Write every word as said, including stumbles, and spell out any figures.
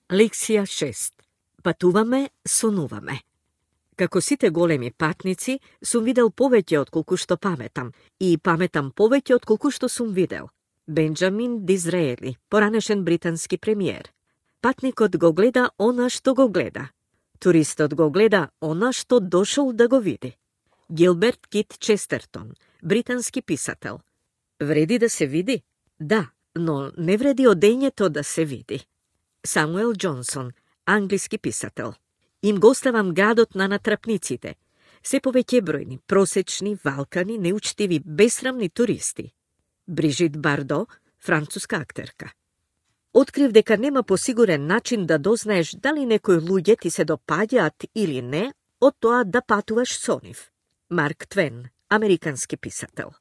Лексија шест. Патуваме, сонуваме. Како сите големи патници, сум видел повеќе отколку што паметам и паметам повеќе отколку што сум видел. Бенџамин Дизраели, поранешен британски премиер. Патникот го гледа она што го гледа. Туристот го гледа она што дошол да го види. Гилберт Кит Честертон, британски писател. Вреди да се види? Да, но не вреди одењето да се види. Самуел Џонсон, англиски писател. Им го оставам градот на натрапниците. Се повеќе бројни, просечни, валкани, неучтиви, бесрамни туристи. Брижит Бардо, француска актерка. Открив дека нема посигурен начин да дознаеш дали некои луѓе ти се допаѓаат или не од тоа да патуваш со нив. Марк Твен, американски писател.